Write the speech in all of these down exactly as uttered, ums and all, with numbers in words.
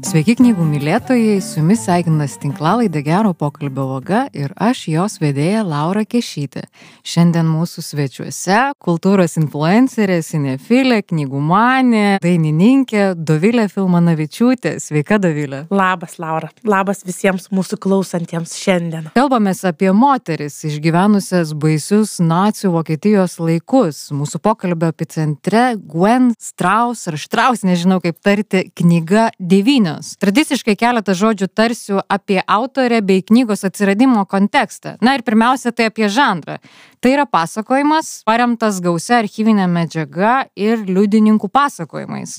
Sveiki knygų mylėtojai, su jumis sveikinas tinklalaidė Gero pokalbio vaga ir aš jos vedėja Laura Kešytė. Šiandien mūsų svečiuose kultūros influencerė, sinefilė, knygų-manė, dainininkė Dovilė Filmanavičiūtė. Sveika, Dovilė. Labas, Laura. Labas visiems mūsų klausantiems šiandien. Kalbamės apie moteris išgyvenusias baisius nacių Vokietijos laikus. Mūsų pokalbio epicentre Gwen Strauss ar Strauss, nežinau kaip tarti, knyga devynios. Tradiciškai keletą žodžių tarsiu apie autorę bei knygos atsiradimo kontekstą. Na ir pirmiausia, tai apie žanrą. Tai yra pasakojimas, paremtas gausia archyvinė medžiaga ir liudininkų pasakojimais.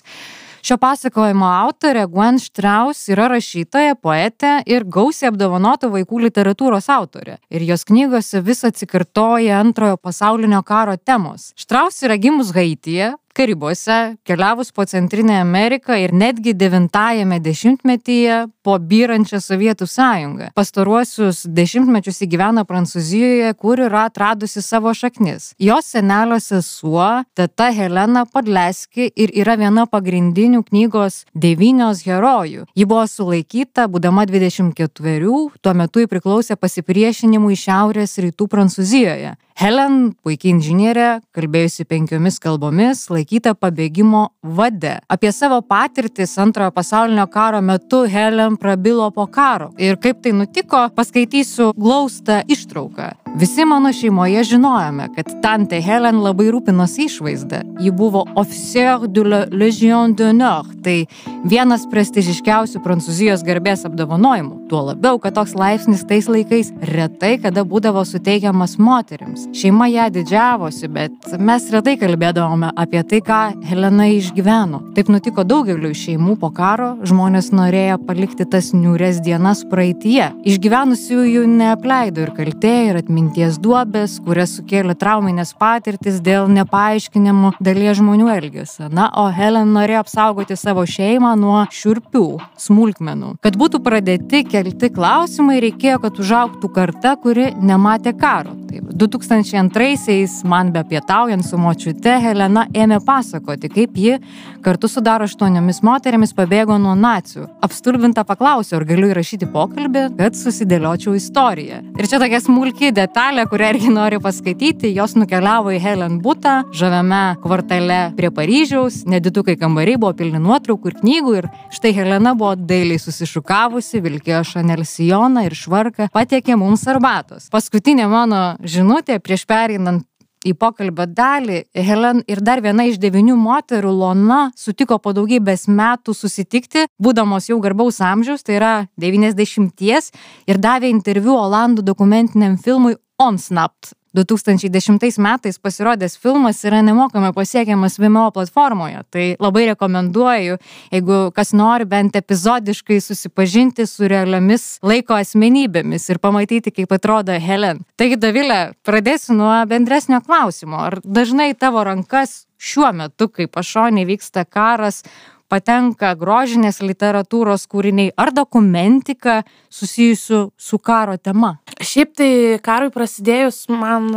Šio pasakojimo autorė Gwen Strauss yra rašytoja, poetė ir gausiai apdovanota vaikų literatūros autorė. Ir jos knygose vis atsikartoja antrojo pasaulinio karo temos. Strauss yra gimus Haityje, Karibuose, keliavus po Centrinę Ameriką ir netgi devintajame dešimtmetyje po byrančią Sovietų sąjungą. Pastaruosius dešimtmečius įgyvena Prancūzijoje, kur yra atradusi savo šaknis. Jos senelio sesuo, teta Helena Podleski, ir yra viena pagrindinių knygos devynios herojų. Ji buvo sulaikyta, būdama dvidešimt ketverių, tuo metu ji priklausė pasipriešinimui šiaurės rytų Prancūzijoje. Helen, puikiai inžinierė, kalbėjusi penkiomis kalbomis, laikyta pabėgimo vade. Apie savo patirtis antrojo pasaulinio karo metu Helen prabilo po karo. Ir kaip tai nutiko, paskaitysiu glaustą ištrauką. Visi mano šeimoje žinojome, kad tante Helen labai rūpinosi išvaizda. Ji buvo officier de la Légion d'honneur, tai vienas prestižiškiausių Prancūzijos garbės apdovanojimų. Tuo labiau, kad toks laipsnis tais laikais retai kada būdavo suteikiamas moterims. Šeima ją didžiavosi, bet mes retai kalbėdavome apie tai, ką Helena išgyveno. Taip nutiko daugeliu šeimų po karo, žmonės norėjo palikti tas niūrias dienas praeityje. Išgyvenusiųjų neapleido ir kaltė, ir atminties duobės, kurias sukėlė trauminės patirtis dėl nepaaiškinimų dalies žmonių elgesio. Na, o Helen norėjo apsaugoti savo šeimą nuo šiurpių smulkmenų. Kad būtų pradėti kelti klausimai, reikėjo, kad užaugtų karta, kuri nematė karo. Taip, du tūkstančiai antraisiais, man bepietaujant su močiute, Helena ėmė pasakoti, kaip ji kartu su dar aštuoniomis moterimis pabėgo nuo nacių. Apstulbinta paklausė, ar galiu įrašyti pokalbį, kad susidėliočiau istoriją. Ir čia tokia smulki detalė, kurią irgi noriu paskaityti. Jos nukeliavo į Helen butą, žaviame kvartale prie Paryžiaus, nedidukai kambariai buvo pilni nuotraukų ir knygų, ir štai Helena buvo dailiai susišukavusi, vilkėjo Chanel sijoną ir švarką, patiekė mums arbatos. Paskutinė mano žinutė prieš pereinant į pokalbio dalį, Helen ir dar viena iš devynių moterų, Lona, sutiko po daugybės metų susitikti, būdamos jau garbaus amžiaus, tai yra devyniasdešimties, ir davė interviu Olandų dokumentiniam filmui Onsnapt. du tūkstančiai dešimtais metais pasirodęs filmas yra nemokamai pasiekiamas Vimeo platformoje. Tai labai rekomenduoju, jeigu kas nori bent epizodiškai susipažinti su realiomis laiko asmenybėmis ir pamatyti, kaip atrodo Helen. Taigi, Dovilė, pradėsiu nuo bendresnio klausimo. Ar dažnai tavo rankas šiuo metu, kai pašonėje vyksta karas, patenka grožinės literatūros kūriniai ar dokumentika susijusių su karo tema? Šiaip tai karui prasidėjus man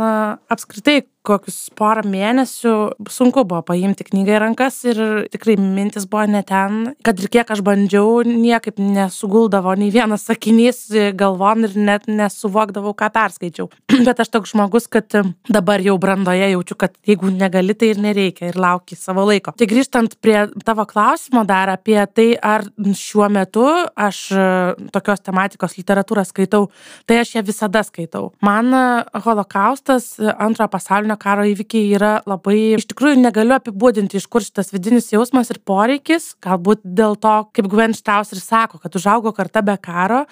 apskritai kokius porą mėnesių sunku buvo paimti knygą į rankas ir tikrai mintis buvo ne ten, kad ir kiek aš bandžiau, niekaip nesuguldavo nei vienas sakinys galvon ir net nesuvokdavau, ką perskaičiau. Bet aš toks žmogus, kad dabar jau brandoje jaučiu, kad jeigu negali, tai ir nereikia ir lauki savo laiko. Tai grįžtant prie tavo klausimo dar apie tai, ar šiuo metu aš tokios tematikos literatūrą skaitau, tai aš ją visada skaitau. Man holokaustas, antrojo pasaulinio karo įvykiai yra labai, iš tikrųjų negaliu apibūdinti, iš kur šitas vidinis jausmas ir poreikis, galbūt dėl to, kaip Gwen Strauss ir sako, kad užaugo karta be karo,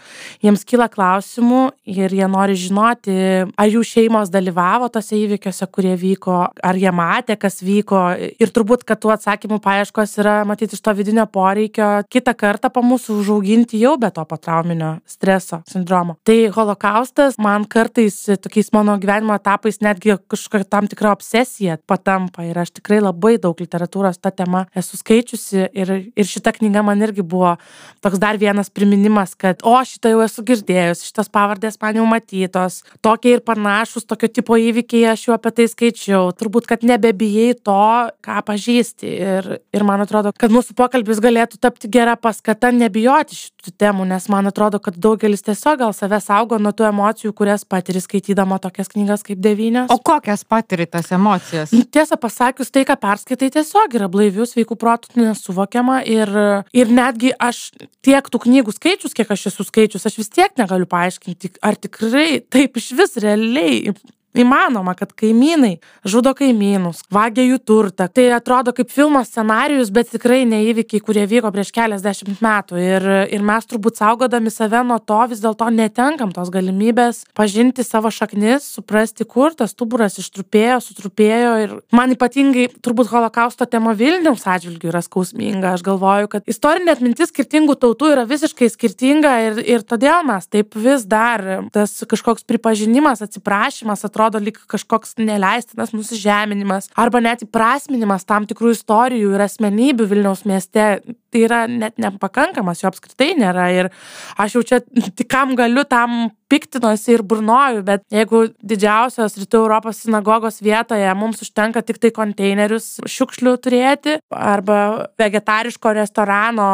jiems kyla klausimų ir jie nori žinoti, ar jų šeimos dalyvavo tose įvykiuose, kurie vyko, ar jie matė, kas vyko, ir turbūt, kad tų atsakymų paieškos yra matyti iš to vidinio poreikio kitą kartą po mūsų užauginti jau be to potrauminio streso sindromo. Tai holokaustas man kartais tokiais mano gyvenimo etapais netgi kažkokia tam tikra obsesija patampa ir aš tikrai labai daug literatūros tą temą esu skaičiusi ir, ir šita knyga man irgi buvo toks dar vienas priminimas, kad o, šitą jau esu girdėjus, šitas pavardės man jau matytos, tokie ir panašus, tokio tipo įvykiai aš jau apie tai skaičiau, turbūt, kad nebebijai to, ką pažįsti ir, ir man atrodo, kad mūsų pokalbis galėtų tapti gera paskata nebijoti šitų temų, nes man atrodo, kad daugelis tiesiog gal save saugo nuo tų emocijų, kurias patiri skaitydama tokias knygas kaip Devynios. O kokias patiri tas emocijas? Tiesą pasakius, tai, ką perskaitai, tiesiog yra blaivių, sveikų protų nesuvokiama ir, ir netgi aš tiek tų knygų skaičius, kiek aš esu skaičius, aš vis tiek negaliu paaiškinti, ar tikrai taip iš vis realiai įmanoma, kad kaimynai žudo kaimynus, vagia jų turtą. Tai atrodo kaip filmo scenarijus, bet tikrai ne įvykiai, kurie vyko prieš keliasdešimt metų. Ir, ir mes turbūt saugodami save nuo to vis dėlto netenkam tos galimybės pažinti savo šaknis, suprasti, kur tas stuburas ištrupėjo, sutrupėjo. Ir man ypatingai turbūt holokausto tema Vilniaus atžvilgiu yra skausminga. Aš galvoju, kad istorinė atmintis skirtingų tautų yra visiškai skirtinga ir, ir todėl mes taip vis dar tas kažkoks pripažinimas, atsiprašymas atrodo atrodo lyg kažkoks neleistinas nusižeminimas arba net įprasminimas tam tikrų istorijų ir asmenybių Vilniaus mieste. Tai yra net nepakankamas, jo apskritai nėra ir aš jau čia tik kam galiu tam piktinosi ir burnoju, bet jeigu didžiausios Rytų Europos sinagogos vietoje mums užtenka tik tai konteinerius šiukšlių turėti arba vegetariško restorano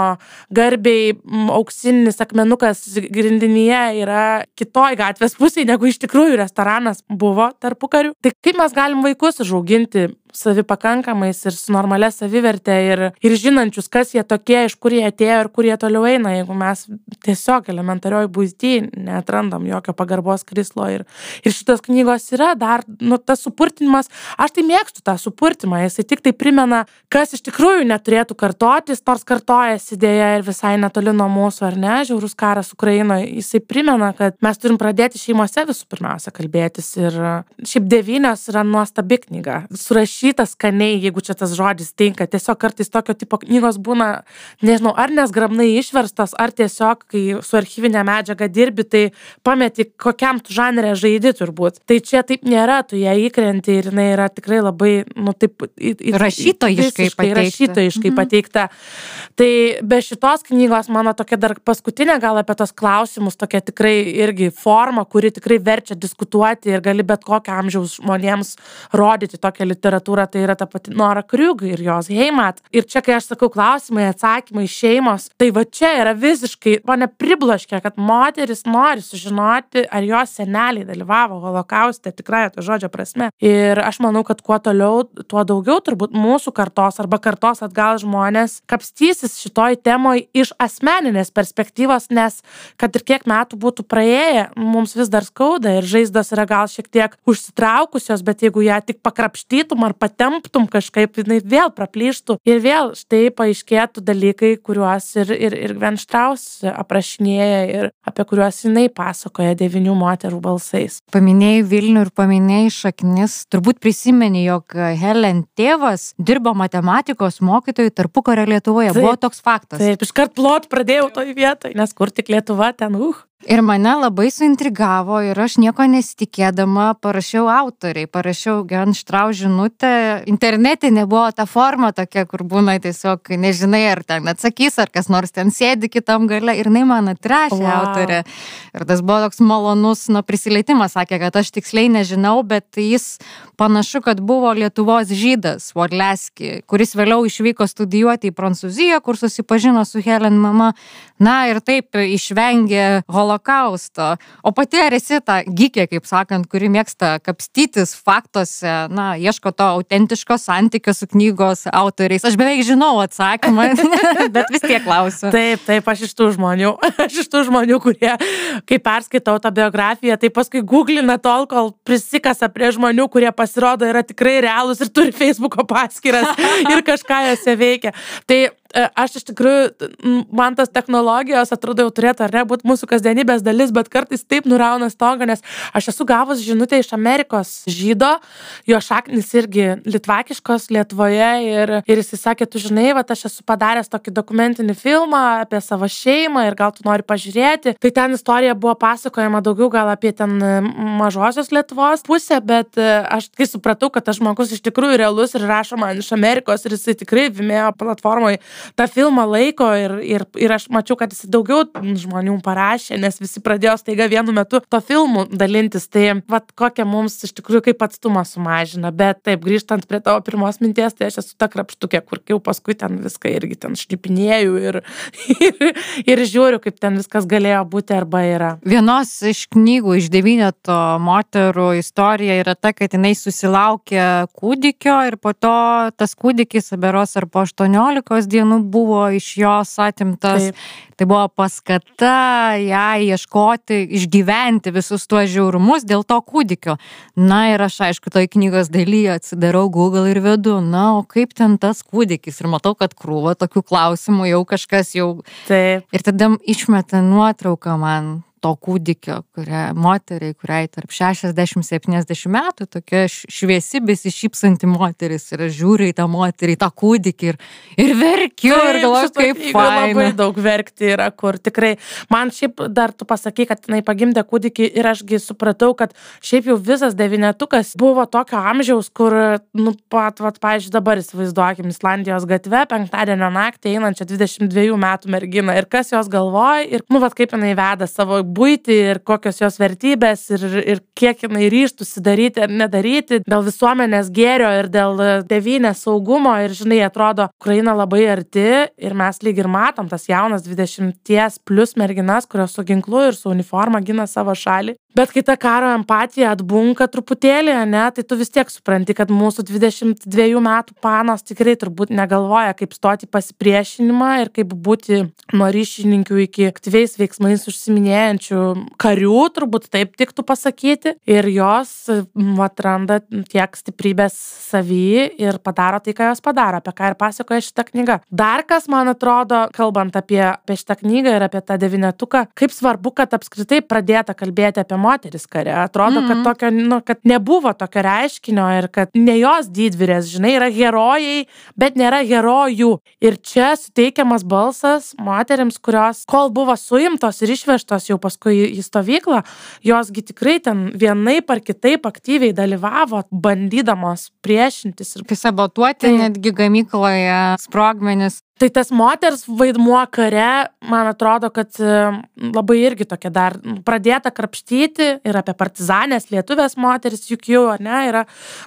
garbiai auksinis akmenukas grindinyje yra kitoj gatvės pusėje, negu iš tikrųjų restoranas buvo tarpukariu, tai kaip mes galim vaikus užauginti savipakankamais ir su normalia saviverte ir, ir žinančius, kas jie tokie, iš kur jie atėjo ir kur jie toliau eina, jeigu mes tiesiog elementarioj buity neatrandam jokio pagarbos krislo. Ir, ir šitos knygos yra dar, nu, tas supurtinimas, aš tai mėgstu tą supurtimą, jisai tik tai primena, kas iš tikrųjų neturėtų kartotis, nors kartojasi dėja ir visai netoli nuo mūsų, ar ne, žiaurus karas Ukrainoje, jisai primena, kad mes turim pradėti šeimose visų pirmiausia kalbėtis ir šiaip Devynios yra nuostabi knyga, surašyta skaniai, jeigu čia tas žodis tinka, tiesiog kartais tokio tipo knygos būna, nežinau, ar nesgrabnai išverstos, ar tiesiog, kai su archyvinė medžiaga dirbi, tai pameti, kokiam tu žanre žaidi turbūt. Tai čia taip nėra, tu ją įkrenti ir jinai yra tikrai labai, nu taip, į, į, rašytojiškai pateikta. Rašytojiškai mhm. pateikta. Tai be šitos knygos, mano tokia dar paskutinė gal apie tos klausimus, tokia tikrai irgi forma, kuri tikrai verčia diskutuoti ir gali bet kokio amžiaus žmonėms rodyti tokią literatūrą, tai yra ta pati Nora Kriug ir jos Heimat. Ir čia, kai aš sakau klausimai, atsakymai, šeimos, tai va čia yra visiškai, mane pribloškia, kad moteris nori sužinoti, ar jos seneliai dalyvavo holokauste, tikrai to žodžio prasme. Ir aš manau, kad kuo toliau, tuo daugiau turbūt mūsų kartos arba kartos atgal žmonės kapstysis šitoj temoj iš asmeninės perspektyvos, nes kad ir kiek metų būtų praėję, mums vis dar skauda ir žaizdos yra gal šiek tiek užsitraukusios, bet jeigu ją tik pakrapštytum ar patemptum kažkaip, jinai vėl praplyštų ir vėl štai paaiškėtų dalykai, kuriuos ir, ir, ir Gwen Strauss aprašinėja ir apie kuriuos jinai pasakoja Devynių moterų balsais. Paminėjai Vilnių ir paminėjai šaknis. Turbūt prisimeni, jog Helen tėvas dirbo matematikos mokytojų tarpukario Lietuvoje. Taip, buvo toks faktas. Taip, iškart plot pradėjau toj vietoj, nes kur tik Lietuva, ten uh. Ir mane labai suintrigavo ir aš nieko nesitikėdama parašiau autoriai, parašiau Gwen Strauss žinutę. Internete nebuvo ta forma tokia, kur būna tiesiog nežinai, ar ten atsakys, ar kas nors ten sėdi kitam gale. Ir jinai man atrašė wow. autorė. Ir tas buvo toks malonus nu, prisilietimas, sakė, kad aš tiksliai nežinau, bet jis panašu, kad buvo Lietuvos žydas, Vodleski, kuris vėliau išvyko studijuoti į Prancūziją, kur susipažino su Helen mama. Na ir taip išvengė holokausto. O pati ar esi ta gikė, kaip sakant, kuri mėgsta kapstytis faktuose, na, ieško to autentiško santykio su knygos autoriais. Aš beveik žinau atsakymą, bet vis tiek klausiu. Taip, taip, aš iš tų žmonių. Aš iš tų žmonių, kurie, kai perskaitau tą biografiją, tai paskui googlina tol, kol prisikasa prie žmonių, kurie pasirodo yra tikrai realūs ir turi Facebooko paskyras ir kažką jose veikia. Tai aš iš tikrųjų, man tas technologijos atrodo jau turėtų ar ne būti mūsų kasdienybės dalis, bet kartais taip nurauna stogą, nes aš esu gavus žinutę iš Amerikos žydo, jo šaknis irgi litvakiškos Lietuvoje ir, ir jis sakė, tu žinai, va, aš esu padaręs tokį dokumentinį filmą apie savo šeimą ir gal tu nori pažiūrėti. Tai ten istorija buvo pasakojama daugiau gal apie ten mažosios Lietuvos pusę, bet aš kai supratau, kad tas žmogus iš tikrųjų realus ir rašo man iš Amerikos ir jisai tikrai Vimeo platformoje tą filmą laiko ir, ir, ir aš mačiau, kad jis daugiau žmonių parašė, nes visi pradėjo staiga vienu metu to filmų dalintis. Tai vat kokia mums iš tikrųjų kaip atstumą sumažina. Bet taip, grįžtant prie tavo pirmos minties, tai aš esu ta krapštukė, kur jau paskui ten viską irgi ten šnipinėjau ir, ir, ir žiūriu, kaip ten viskas galėjo būti arba yra. Vienos iš knygų iš devyneto moterų istorija yra ta, kad jinai susilaukė kūdikio ir po to tas kūdikis, beros ar po aštuoniolikos dienų buvo iš jos atimtas. Taip. Tai buvo paskata jai ieškoti, išgyventi visus tuos žiaurumus dėl to kūdikio. Na ir aš, aišku, toj knygos dalyje atsidarau Google ir vedu, na, o kaip ten tas kūdikis? Ir matau, kad krūva tokių klausimų jau kažkas jau... Taip. Ir tada išmeta nuotrauką man to kūdikio, kuria, moteriai, kuriai tarp šešiasdešimt septyniasdešimt metų, tokia šviesi, besišypsanti moteris ir žiūri į tą moterį, tą kūdikį ir, ir verkiu Taip, ir galvoju, kaip faina. Labai daug verkti yra, kur tikrai, man šiaip dar tu pasakai, kad jinai pagimdė kūdikį ir ašgi supratau, kad šiaip jau visas devynetukas buvo tokio amžiaus, kur, nu, pat, vat, pavyzdžiui, dabar įsivaizduokim Islandijos gatve, penktadienio naktį einančią dvidešimt dviejų metų merginą ir kas jos galvoja ir, nu, vat, kaip jinai veda savo buitį ir kokios jos vertybės ir, ir kiek jinai ryžtųsi daryti ar nedaryti dėl visuomenės gėrio ir dėl tėvynės saugumo ir, žinai, atrodo, Ukraina labai arti ir mes lyg ir matom tas jaunas dvidešimties plus merginas, kurios su ginklu ir su uniforma gina savo šalį. Bet kai ta karo empatija atbunka truputėlį, ne, tai tu vis tiek supranti, kad mūsų dvidešimt dviejų metų panos tikrai turbūt negalvoja, kaip stoti pasipriešinimą ir kaip būti nuo ryšininkių iki aktyviais veiksmais užsiminėjančių karių, turbūt taip tiktų pasakyti. Ir jos atranda tiek stiprybės savy ir padaro tai, ką jos padaro, apie ką ir pasakoja šitą knygą. Dar kas, man atrodo, kalbant apie, apie šitą knygą ir apie tą devynetuką, kaip svarbu, kad apskritai pradėta kalbėti apie moteris kare. Atrodo, mm-hmm. kad, tokio, nu, kad nebuvo tokio reiškinio ir kad ne jos didvyrės, žinai, yra herojai, bet nėra herojų. Ir čia suteikiamas balsas moterims, kurios, kol buvo suimtos ir išvežtos jau paskui į stovyklą, josgi tikrai ten vienaip ar kitaip aktyviai dalyvavo, bandydamos priešintis. Ir sabotuoti tai, netgi gamykloje sprogmenis. Tai tas moters vaidmuo kare, man atrodo, kad labai irgi tokia dar pradėta krapštyti ir apie partizanės lietuvės moteris, juk jau, ne, yra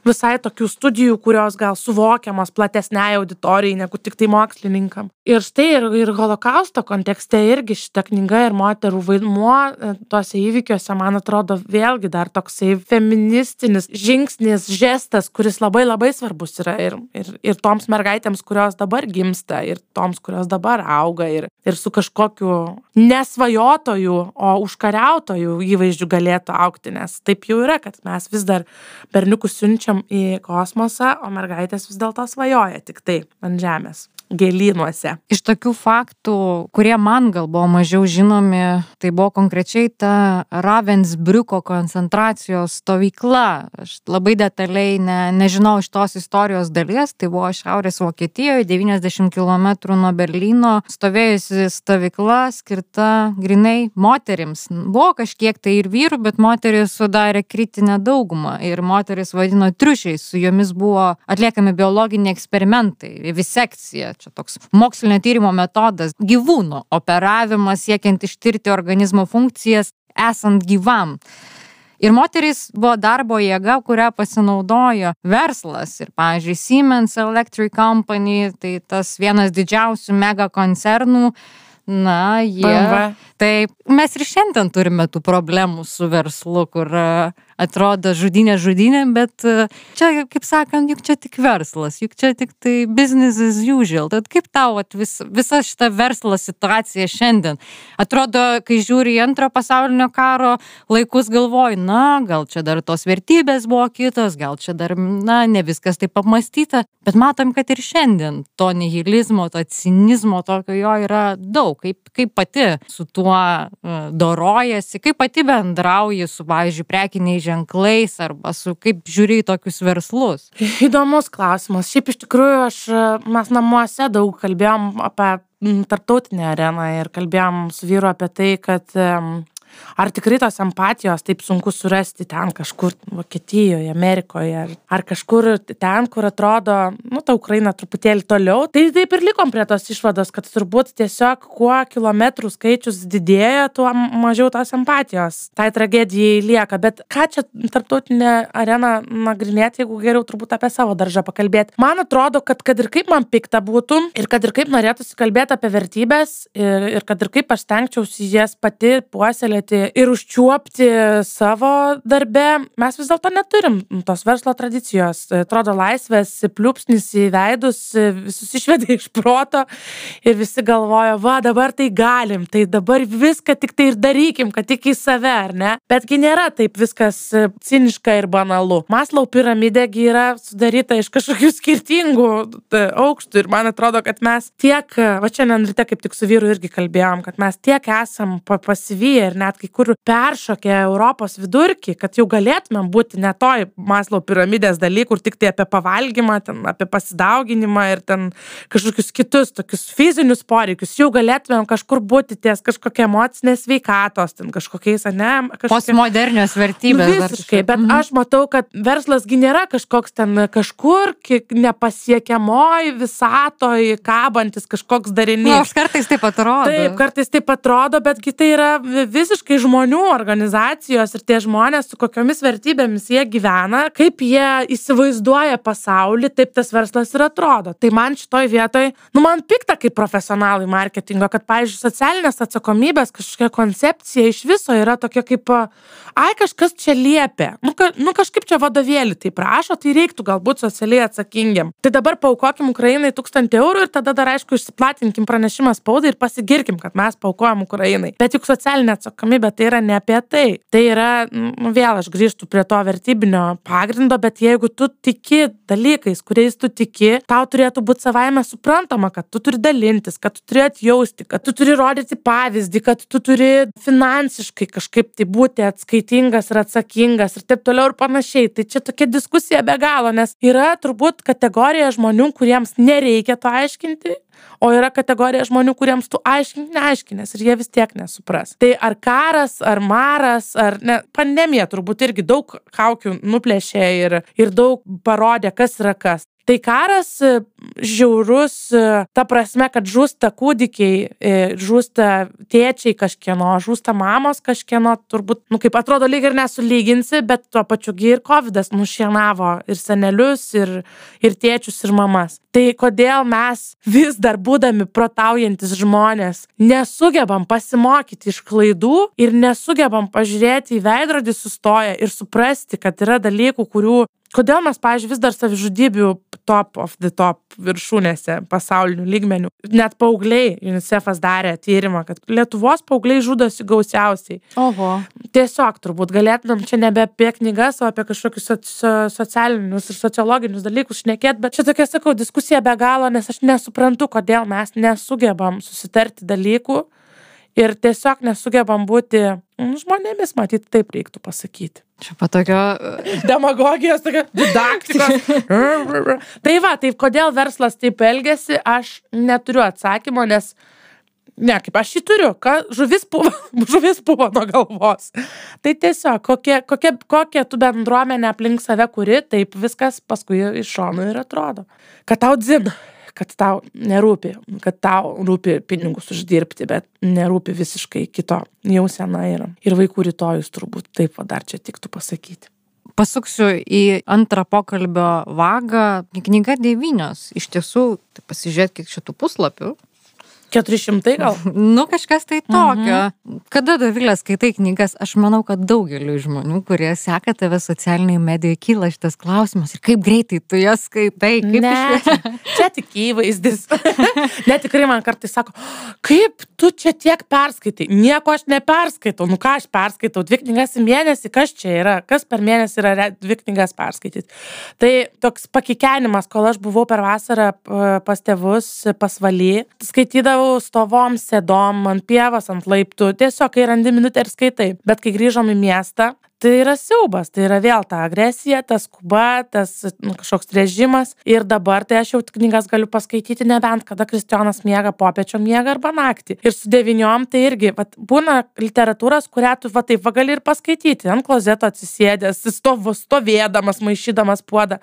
visai tokių studijų, kurios gal suvokiamos platesniai auditorijai, negu tik tai mokslininkam. Ir štai ir, ir holokausto kontekste irgi šita knyga ir moterų vaidmuo tuose įvykiuose, man atrodo, vėlgi dar toksai feministinis žingsnis, žestas, kuris labai labai svarbus yra ir, ir, ir toms mergaitėms, kurios dabar gimsta ir toms, kurios dabar auga ir, ir su kažkokiu nesvajotojų, o užkariautojų įvaizdžiu galėtų aukti, nes taip jau yra, kad mes vis dar berniukus siunčiam į kosmosą, o mergaitės vis dėlto svajoja tik tai ant žemės. Gėlynuose. Iš tokių faktų, kurie man gal buvo mažiau žinomi, tai buvo konkrečiai ta Ravensbriuko koncentracijos stovykla. Aš labai detaliai ne, nežinau iš tos istorijos dalies, tai buvo Šiaurės Vokietijoje, devyniasdešimt kilometrų nuo Berlyno, stovėjusi stovykla skirta grinai moterims. Buvo kažkiek tai ir vyrų, bet moteris sudarė kritinę daugumą ir moteris vadino triušiais, su jomis buvo atliekami biologiniai eksperimentai, vivisekcija. Čia toks mokslinio tyrimo metodas, gyvūnų operavimas siekiant ištirti organizmo funkcijas esant gyvam. Ir moteris buvo darbo jėga, kurią pasinaudojo verslas. Ir, pavyzdžiui, Siemens Electric Company, tai tas vienas didžiausių mega koncernų, na, jie... B M W. Tai mes ir šiandien turime tų problemų su verslu, kur atrodo žudynė žudynė, bet čia, kaip sakant, juk čia tik verslas, juk čia tik tai business as usual. Tad kaip tau at, vis, visa šita verslo situacija šiandien? Atrodo, kai žiūri į antrojo pasaulinio karo laikus, galvoju, na, gal čia dar tos vertybės buvo kitos, gal čia dar, na, ne viskas taip apmąstyta, bet matom, kad ir šiandien to nihilizmo, to cinizmo tokio jo yra daug. Kaip, kaip pati su tuo uh, dorojasi, kaip pati bendrauji su, pavyzdžiui, prekiniais ženklais arba su kaip žiūri į tokius verslus? Įdomus klausimas. Šiaip iš tikrųjų aš, mes namuose daug kalbėjom apie tarptautinę areną ir kalbėjom su vyru apie tai, kad um, ar tikrai tos empatijos taip sunku surasti ten kažkur Vokietijoje, Amerikoje, ar, ar kažkur ten, kur atrodo, nu, ta Ukraina truputėlį toliau. Tai taip ir likom prie tos išvados, kad turbūt tiesiog kuo kilometrų skaičius didėja, tuo mažiau tos empatijos. Tai tragedijai lieka. Bet ką čia tarptautinė arena nagrinėti, jeigu geriau turbūt apie savo daržą pakalbėti. Man atrodo, kad kad ir kaip man pikta būtų ir kad ir kaip norėtųsi kalbėti apie vertybės ir, ir kad ir kaip aš stengčiausi jas pati puoselėti ir užčiuopti savo darbe, mes vis dėlto neturim tos verslo tradicijos. Atrodo, laisvės pliūpsnis į veidus visus išvedė iš proto ir visi galvoja, va, dabar tai galim, tai dabar viską tik tai ir darykim, kad tik į save, ar ne? Betgi nėra taip viskas ciniška ir banalu. Maslow piramidėgi yra sudaryta iš kažkokių skirtingų aukštų ir man atrodo, kad mes tiek, va šiandien ryte kaip tik su vyru irgi kalbėjom, kad mes tiek esam pasivyję ir net kai kur peršokę Europos vidurkį, kad jau galėtumėm būti ne toj Maslow piramidės daly, kur tik tai apie pavalgymą, ten, apie pasidauginimą ir ten kažkokius kitus tokius fizinius poreikius, jau galėtumėm kažkur būti ties kažkokia emocinės sveikatos, ten kažkokiais, ne? Kažkokia... Postmodernios vertybės. Nu, visiškai, bet mhm. aš matau, kad verslasgi nėra kažkoks ten kažkur nepasiekiamoj, visatoj, kabantis kažkoks darinys. Na, aš kartais taip atrodo. Taip, kartais taip atrodo, betgi tai yra visiškai žmonių organizacijos ir tie žmonės, su kokiomis vertybėmis jie gyvena, kaip jie įsivaizduoja pasaulį, taip tas verslas ir atrodo. Tai man šitoj vietoj, nu man pikta kaip profesionalai marketingo, kad, pavyzdžiui, socialinės atsakomybės kažkokia koncepcija iš viso yra tokia kaip, ai, kažkas čia liepia. Nu, ka, nu kažkaip čia vadovėlį tai prašo, tai reiktų galbūt socialiai atsakingiam. Tai dabar paaukokim Ukrainai tūkstantį eurų ir tada dar, aišku, išsiplatinkim pranešimą spaudai ir pasigirkim, kad mes paaukojam Ukrainai. Bet juk socialinė atsakomybė tai yra ne apie tai. Tai yra, nu, vėl aš grįžtu prie to vertybinio pagrindo, bet jeigu tu tiki dalykais, kuriais tu tiki, tau turėtų būti savaime suprantama, kad tu turi dalintis, kad tu turi atjausti, kad tu turi rodyti pavyzdį, kad tu turi finansiškai kažkaip tai būti atskaitingas ir atsakingas ir taip toliau ir panašiai. Tai čia tokia diskusija be galo, nes yra turbūt kategorija žmonių, kuriems nereikia to aiškinti, o yra kategorija žmonių, kuriems tu aiškink neaiškinės ir jie vis tiek nesupras. Tai ar karas, ar maras, ar ne, pandemija turbūt irgi daug kaukių nuplėšė ir, ir daug parodė, kas yra kas. Tai karas žiaurus, ta prasme, kad žūsta kūdikiai, žūsta tėčiai kažkieno, žūsta mamos kažkieno, turbūt, nu kaip atrodo, lyg ir nesulyginsi, bet tuo pačiu gi ir kovidas nušienavo ir senelius, ir, ir tėčius, ir mamas. Tai kodėl mes vis dar būdami protaujantis žmonės nesugebam pasimokyti iš klaidų ir nesugebam pažiūrėti į veidrodį sustoję ir suprasti, kad yra dalykų, kurių kodėl mes, pavyzdžiui, vis dar savižudybių top of the top viršūnėse pasaulinių lygmenių. Net paaugliai, UNICEF'as darė tyrimą, kad Lietuvos paaugliai žudosi gausiausiai. Oho. Tiesiog turbūt galėtumėm čia nebe apie knygas, o apie kažkokius so socialinius ir sociologinius dalykus šnekėt, bet čia tokia, sakau, diskusija be galo, nes aš nesuprantu, kodėl mes nesugebam susitarti dalykų ir tiesiog nesugebam būti žmonėmis, matyt, taip reiktų pasakyti. Čia patokio... Demagogijos, tokia didaktikos. Tai va, tai kodėl verslas taip elgiasi, aš neturiu atsakymo, nes, ne, kaip aš jį turiu, ka, žuvis puvo, žuvis puvo nuo galvos. Tai tiesiog, kokie, kokie, kokie tu bendruomenė aplink save kuri, taip viskas paskui iš šonų ir atrodo. Kad tau dzin, kad tau nerūpi, kad tau rūpi pinigus uždirbti, bet nerūpi visiškai kito jausena yra. Ir vaikų rytojus turbūt taip va dar čia tiktų pasakyti. Pasuksiu į antrą pokalbio vagą. Knyga devynios. Iš tiesų, tai pasižiūrėt, kiek šitų puslapių. keturi šimtai gal? Nu, kažkas tai tokio. Mhm. Kada, Dovilė, skaitai knygas, aš manau, kad daugeliu žmonių, kurie seka tave socialiniai medijai, kyla šitas klausimas ir kaip greitai tu jas skaitai. Kaip Ne, iš... čia tik įvaizdis. Ne, tikrai man kartais sako, kaip tu čia tiek perskaitai? Nieko aš neperskaitau. Nu ką aš perskaitau? Dvi knygas į mėnesį, kas čia yra? Kas per mėnesį yra dvi knygas perskaityti? Tai toks pakikenimas, kol aš buvau per vasarą pas tėvus, pasvaly, skaitydavau stovom, sėdom, ant pievas, ant laiptų. Tiesiog, kai randi minutę ir skaitai. Bet kai grįžom į miestą, tai yra siaubas, tai yra vėl ta agresija, tas skuba, tas nu, kažkoks režimas. Ir dabar tai aš jau knygas galiu paskaityti nebent, kada Kristijonas miega popiečio miega arba naktį. Ir su devyniom tai irgi, vat, būna literatūros, kurią tu va taip va gali ir paskaityti, ant klozeto atsisėdęs, stovo, stovėdamas, maišydamas puodą.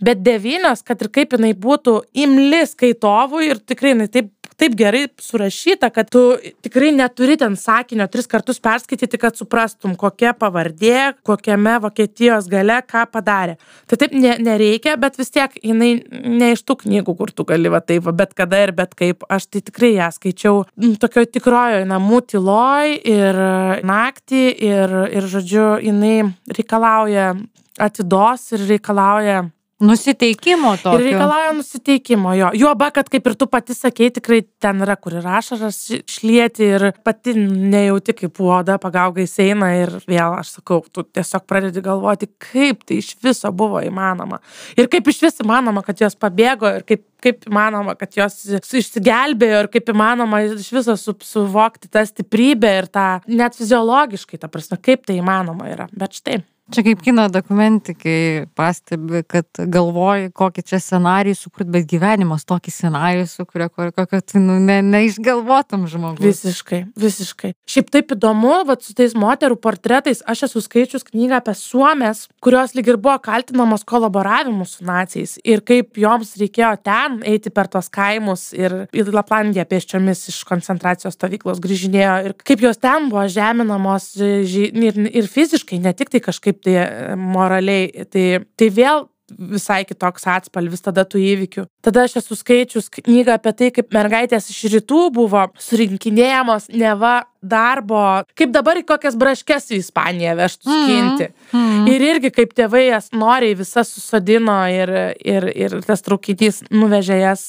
Bet devynios, kad ir kaip jinai būtų imli skaitovui ir tikrai jinai taip taip gerai surašyta, kad tu tikrai neturi ten sakinio tris kartus perskaityti, kad suprastum, kokia pavardė, kokiame Vokietijos gale, ką padarė. Tai taip ne, nereikia, bet vis tiek jinai ne iš tų knygų, kur tu gali va taip, va, bet kada ir bet kaip. Aš tai tikrai ją skaičiau tokio tikrojo namų tyloj ir naktį ir, ir žodžiu, jinai reikalauja atidos ir reikalauja Nusiteikimo tokio. Ir reikalauja nusiteikimo, jo. Juoba, kad kaip ir tu pati sakei, tikrai ten yra, kur ir ašaras šlieti ir pati nejauti, kaip oda pagaugais eina ir vėl, aš sakau, tu tiesiog pradedi galvoti, kaip tai iš viso buvo įmanoma. Ir kaip iš viso įmanoma, kad jos pabėgo ir kaip, kaip įmanoma, kad jos išsigelbėjo ir kaip įmanoma iš viso su, suvokti tą stiprybę ir tą net fiziologiškai, ta prasme, kaip tai įmanoma yra. Bet štai. Čia kaip kino dokumentikai pastebi, kad galvoji, kokį čia scenarijų sukurt, bet gyvenimas tokį scenarijų sukuria, kokio tu nu, ne, neišgalvotum žmogus. Visiškai, visiškai. Šiaip taip įdomu, vat su tais moterų portretais, aš esu skaičius knygą apie suomės, kurios lyg ir buvo kaltinamos kolaboravimu su naciais ir kaip joms reikėjo ten eiti per tos kaimus ir į Laplandiją pėsčiomis iš koncentracijos stovyklos grįžinėjo ir kaip jos ten buvo žeminamos ir, ir fiziškai, ne tik tai kažkaip tai moraliai, tai, tai vėl visai kitoks atspalvis tada tų įvykių. Tada aš esu skaičius knygą apie tai, kaip mergaitės iš rytų buvo surinkinėjamos neva darbo, kaip dabar į kokias braškes į Ispaniją vežtų skinti. Mm, mm. Ir irgi kaip tėvai jas noriai visas susodino ir, ir, ir tas traukinys nuvežė jas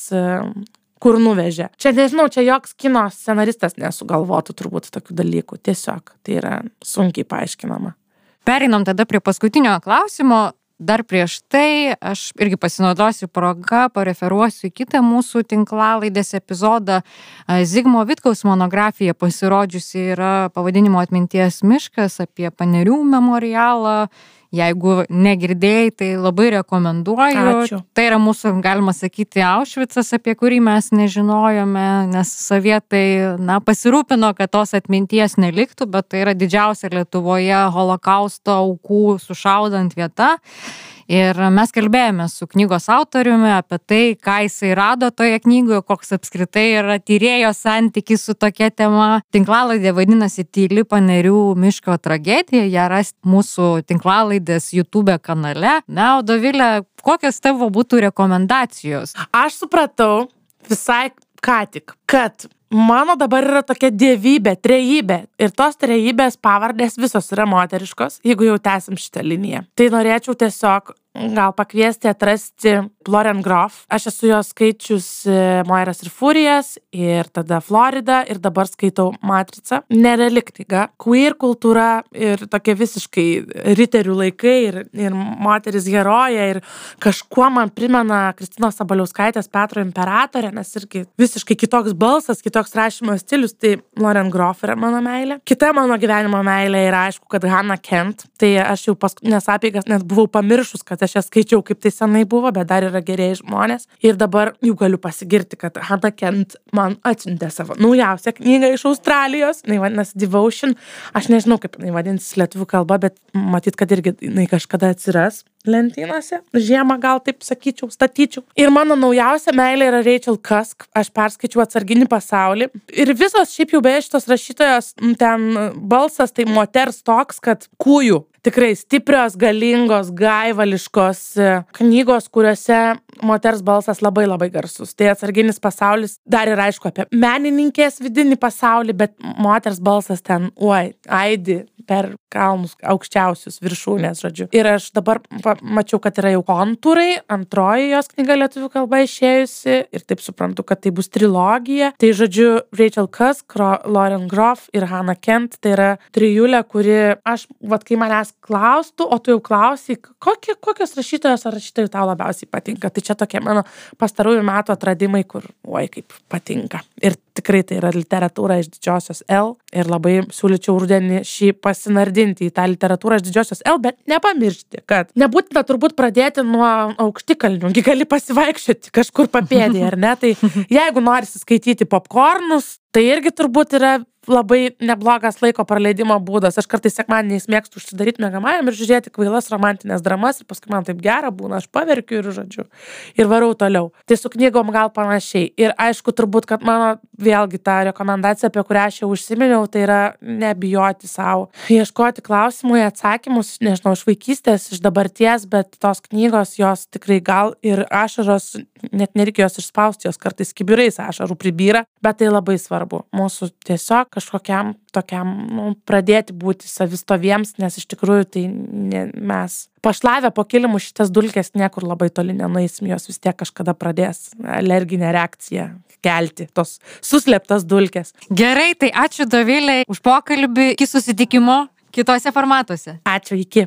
kur nuvežė. Čia nežinau, čia joks kino scenaristas nesugalvotų turbūt tokių dalykų. Tiesiog tai yra sunkiai paaiškinama. Pereinam tada prie paskutinio klausimo. Dar prieš tai aš irgi pasinaudosiu progą, pareferuosiu į kitą mūsų tinklalaidės epizodą. Zigmo Vitkaus monografija pasirodžiusi yra pavadinimo Atminties miškas apie Panerių memorialą. Jeigu negirdėjai, tai labai rekomenduoju. Ačiū. Tai yra mūsų, galima sakyti, Aušvicas, apie kurį mes nežinojome, nes sovietai, na, pasirūpino, kad tos atminties neliktų, bet tai yra didžiausia Lietuvoje holokausto aukų sušaudant vieta. Ir mes kalbėjome su knygos autoriumi apie tai, ką jisai rado toje knygoje, koks apskritai yra tyrėjo santykis su tokia tema. Tinklalaidė vadinasi Tyli Panerių miško tragedija, ją rasti mūsų tinklalaidės YouTube kanale. Na, o Dovilė, kokios tavo būtų rekomendacijos? Aš supratau visai ką tik, kad mano dabar yra tokia dievybė, trejybė. Ir tos trejybės pavardės visos yra moteriškos, jeigu jau tęsim šitą liniją. Tai norėčiau tiesiog gal pakviesti atrasti Lauren Groff. Aš esu jos skaičius Moiras ir Furijas ir tada Florida ir dabar skaitau Matricą. Nereali knyga. Queer kultūra ir tokie visiškai riterių laikai ir, ir moteris herojė ir kažkuo man primena Kristinos Sabaliauskaitės Petro imperatorę, nes irgi visiškai kitoks balsas, kitoks rašymo stilius, tai Lauren Groff yra mano meilė. Kita mano gyvenimo meilė yra aišku, kad Hannah Kent. Tai aš jau paskutinės apeigas net buvau pamiršus, kad aš ją skaičiau, kaip tai senai buvo, bet dar yra gerieji žmonės. Ir dabar jau galiu pasigirti, kad Hannah Kent man atsiuntė savo naujausią knygą iš Australijos. Jinai vadinasi Devotion. Aš nežinau, kaip jinai vadinsis lietuvių kalba, bet matyt, kad irgi jinai kažkada atsiras lentynose. Žiemą gal taip sakyčiau, statyčiau. Ir mano naujausia meilė yra Rachel Cusk. Aš perskaičiau Atsarginį pasaulį. Ir visos šiaip jau beje šitos rašytojos ten balsas tai moters toks, kad kūjų. Tikrai stiprios, galingos, gaivališkos knygos, kuriuose moters balsas labai labai garsus. Tai atsarginis pasaulis dar ir aišku apie menininkės vidinį pasaulį, bet moters balsas ten, oi, aidi per kalnus aukščiausius viršūnės, žodžiu. Ir aš dabar mačiau, kad yra jau kontūrai, antroji jos knyga lietuvių kalba išėjusi ir taip suprantu, kad tai bus trilogija. Tai žodžiu, Rachel Cusk, Lauren Groff ir Hannah Kent, tai yra trijulė, kuri aš, vat kai manęs klaustų, o tu jau klausai, kokie, kokios rašytojos ar rašytojų tau labiausiai patinka. Tai čia tokie mano pastarųjų metų atradimai, kur, oi, kaip patinka. Ir tikrai tai yra literatūra iš didžiosios L ir labai siūlyčiau rudenį šį pasinardinti į tą literatūrą iš didžiosios L, bet nepamiršti, kad nebūtina turbūt pradėti nuo aukštikalnių, gali pasivaikščioti kažkur papėdėje, ar ne? Tai jeigu norisi skaityti popkornus, tai irgi turbūt yra labai neblogas laiko praleidimo būdas. Aš kartais sekmadieniais mėgstu užsidaryti miegamajam ir žiūrėti kvailas romantinės dramas ir paskui man taip gera būna, aš paverkiu ir žodžiu. Ir varau toliau. Tai su knygom gal panašiai. Ir aišku, turbūt, kad mano vėlgi ta rekomendacija, apie kurią aš jau užsiminiau, tai yra nebijoti savo. Ieškoti klausimų, atsakymus, nežinau, iš vaikystės, iš dabarties, bet tos knygos, jos tikrai gal ir ašaros, net nereikia jos išspausti, jos kartais kibirais ašarų pribyra, bet tai labai svarbu. Mūsų tiesiog kažkokiam tokiam, nu, pradėti būti savistoviems, nes iš tikrųjų tai ne, mes pašlavę po kilimu šitas dulkės niekur labai toli nenueisim, jos vis tiek kažkada pradės alerginę reakciją kelti, tos suslėptas dulkės. Gerai, tai ačiū Dovilei už pokalbį, iki susitikimo kitose formatuose. Ačiū, iki.